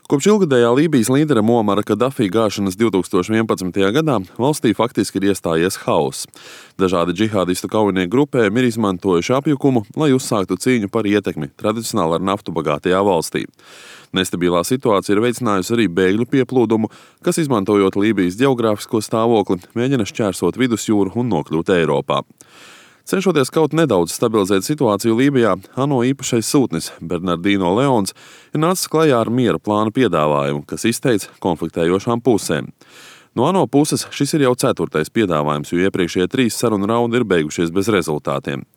Kopš ilgadējā Lībijas līdera Muamara Kadafī gāšanas 2011. gadā valstī faktiski ir iestājies hauss. Dažādi džihādistu kaujinieku grupējumi ir izmantojuši apjukumu, lai uzsāktu cīņu par ietekmi tradicionāli ar naftu bagātajā valstī. Nestabilā situācija ir veicinājusi arī bēgļu pieplūdumu, kas, izmantojot Lībijas ģeogrāfisko stāvokli, mēģina šķērsot vidusjūru un nokļūt Eiropā. Cenšoties kaut nedaudz stabilizēt situāciju Lībijā, ANO īpašais sūtnis Bernardino Leons ir nācis klajā ar miera plāna piedāvājumu, kas izteikts konfliktējošām pusēm. No ANO puses šis ir jau 4. piedāvājums, jo iepriekšējie 3 sarunu raundi ir beigušies bez rezultātiem.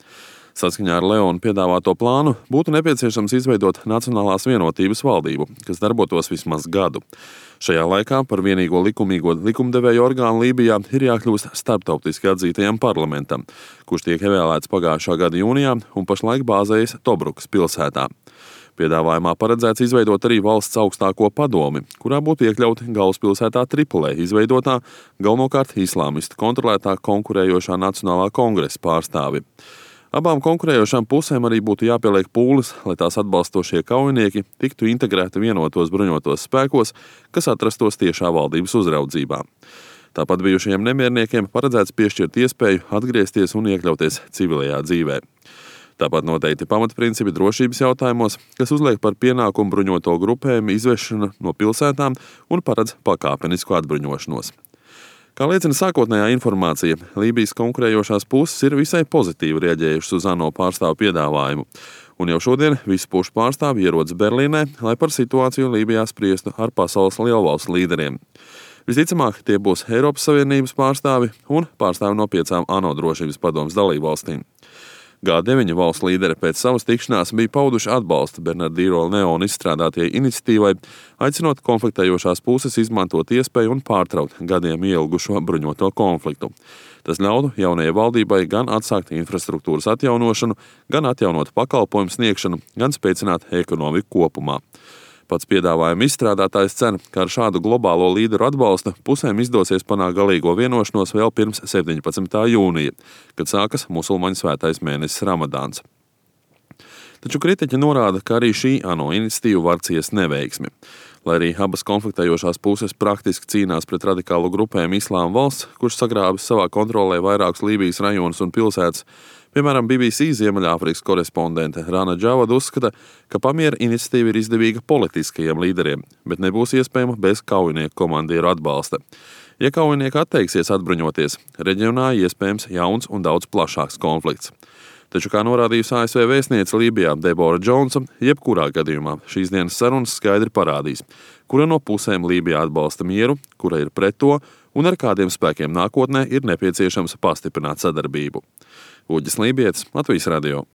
Saskaņā ar Leona piedāvāto plānu būtu nepieciešams izveidot Nacionālās vienotības valdību, kas darbotos vismaz gadu. Šajā laikā par vienīgo likumīgo likumdevēju orgānu Lībijā ir jākļūst starptautiski atzītajam parlamentam, kurš tiek ievēlēts pagājušā gada jūnijā un pašlaik bāzējas Tobrukas pilsētā. Piedāvājumā paredzēts izveidot arī valsts augstāko padomi, kurā būtu iekļauti galvaspilsētā Tripolē izveidotā, galvenokārt islāmistu kontrolētā konkurējošā Nacionālā kongresa pārstāvi. Abām konkurējošām pusēm arī būtu jāpieliek pūles, lai tās atbalstošie kaujinieki tiktu integrēti vienotos bruņotos spēkos, kas atrastos tiešā valdības uzraudzībā. Tāpat bijušajiem nemierniekiem paredzēts piešķirt iespēju atgriezties un iekļauties civilajā dzīvē. Tāpat noteikti pamatprincipi drošības jautājumos, kas uzliek par pienākumu bruņoto grupējumu izvešanu no pilsētām un paredz pakāpenisku atbruņošanos. Kā liecina sākotnējā informācija, Lībijas konkurējošās puses ir visai pozitīvi reaģējušas uz ANO pārstāvu piedāvājumu, un jau šodien visu pušu pārstāvi ierodas Berlīnē, lai par situāciju Lībijā spriestu ar pasaules lielvalstu līderiem. Visticamāk, tie būs Eiropas Savienības pārstāvi un pārstāvi no 5 ANO drošības padomes dalībvalstīm. G9 valstu līderi pēc savas tikšanās bija pauduši atbalstu Bernardino Leona izstrādātajai iniciatīvai, aicinot konfliktējošās puses izmantot iespēju un pārtraukt gadiem ielgušo bruņoto konfliktu. Tas ļautu jaunajai valdībai gan atsākt infrastruktūras atjaunošanu, gan atjaunot pakalpojumu sniegšanu, gan spēcināt ekonomiku kopumā. Pats piedāvājuma izstrādātājs cer, ka ar šādu globālo līderu atbalstu pusēm izdosies panākt galīgo vienošanos vēl pirms 17. jūnija, kad sākas musulmaņu svētais mēnesis Ramadāns. Taču kritiķi norāda, ka arī šī ANO iniciatīva var ciest neveiksmi. Lai arī abas konfliktējošās puses praktiski cīnās pret radikālu grupējumu Islāma valsts, kurš sagrābis savā kontrolē vairākus Lībijas rajonus un pilsētas, piemēram, BBC Ziemeļāfrikas korespondente Rana Džavada uzskata, ka pamiera iniciatīva ir izdevīga politiskajiem līderiem, bet nebūs iespējama bez kaujinieku komandieru atbalsta. Ja kaujinieki atteiksies atbruņoties, reģionā iespējams jauns un daudz plašāks konflikts. Taču, kā norādījusi ASV vēstniece Lībijā Debora Džonsa, jebkurā gadījumā šīs dienas sarunas skaidri parādīs, kura no pusēm Lībijā atbalsta mieru, kura ir pret to un ar kādiem spēkiem nākotnē ir nepieciešams pastiprināt sadarbību. Uģis Lībietis, Latvijas radio.